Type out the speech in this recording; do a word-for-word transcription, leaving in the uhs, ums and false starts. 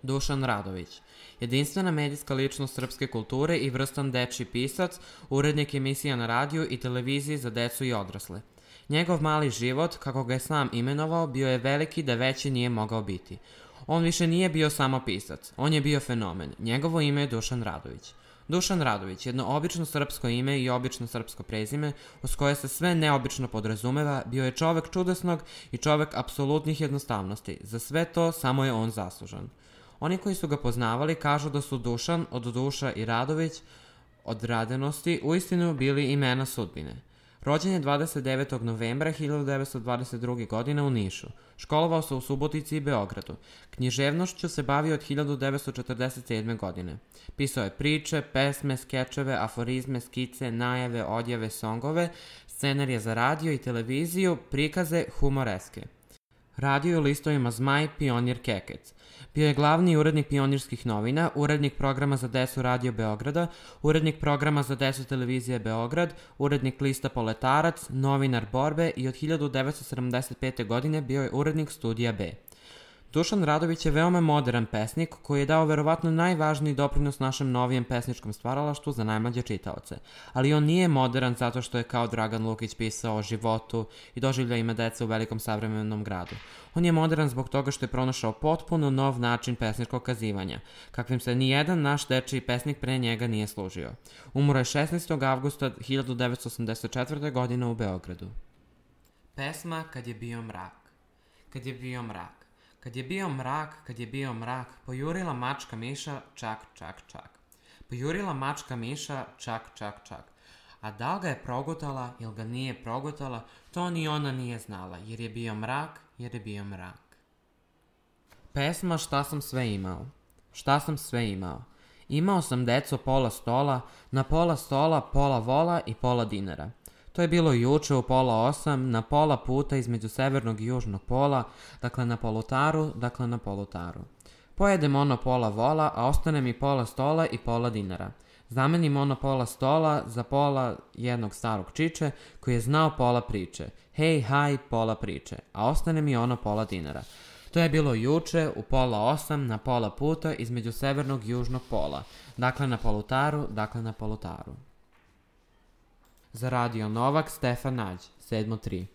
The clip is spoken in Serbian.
Dušan Radović, jedinstvena medijska ličnost srpske kulture i vrstan dečiji pisac, urednik emisija na radiju i televiziji za decu i odrasle. Njegov mali život, kako ga je sam imenovao, bio je veliki da veći nije mogao biti. On više nije bio samo pisac, on je bio fenomen. Njegovo ime je Dušan Radović. Dušan Radović, jedno obično srpsko ime i obično srpsko prezime, uz koje se sve neobično podrazumeva, bio je čovek čudesnog i čovek apsolutnih jednostavnosti. Za sve to samo je on zaslužan. Oni koji su ga poznavali kažu da su Dušan od Duša i Radović od radenosti uistinu bili imena sudbine. Rođen je dvadeset devetog novembra hiljadu devetsto dvadeset druge. godine u Nišu. Školovao se u Subotici i Beogradu. Književnošću se bavio od hiljadu devetsto četrdeset sedme. godine. Pisao je priče, pesme, skečeve, aforizme, skice, najave, odjave, songove, scenarije za radio i televiziju, prikaze, humoreske. Radio u listovima Zmaj, Pionir, Kekec. Bio je glavni urednik Pionirskih novina, urednik programa za decu Radio Beograda, urednik programa za decu televizije Beograd, urednik lista Poletarac, novinar Borbe i od hiljadu devetsto sedamdeset pete. godine bio je urednik Studija B. Dušan Radović je veoma modern pesnik koji je dao verovatno najvažniji doprinos našem novijem pesničkom stvaralaštvu za najmlađe čitaoce. Ali on nije modern zato što je kao Dragan Lukić pisao o životu i doživljajima dece u velikom savremenom gradu. On je modern zbog toga što je pronašao potpuno nov način pesničkog kazivanja, kakvim se nijedan naš dečiji pesnik pre njega nije služio. Umro je šesnaestog avgusta hiljadu devetsto osamdeset četvrte. godine u Beogradu. Pesma Kad je bio mrak. Kad je bio mrak. Kad je bio mrak, kad je bio mrak, pojurila mačka miša, čak, čak, čak. Pojurila mačka miša, čak, čak, čak. A da li ga je progutala ili ga nije progutala, to ni ona nije znala, jer je bio mrak, jer je bio mrak. Pesma Šta sam sve imao. Šta sam sve imao. Imao sam deco pola stola, na pola stola pola vola i pola dinara. To je bilo juče u pola osam, na pola puta između severnog i južnog pola, dakle na polutaru, dakle na polutaru. Pojedem ono pola vola, a ostane mi pola stola i pola dinara. Zamenim ono pola stola za pola jednog starog čiče koji je znao pola priče. Hej, haj, pola priče, a ostane mi ono pola dinara. To je bilo juče u pola osam, na pola puta između severnog i južnog pola, dakle na polutaru, dakle na polutaru. Za Radio Novak, Stefan Nađ, sedam tri.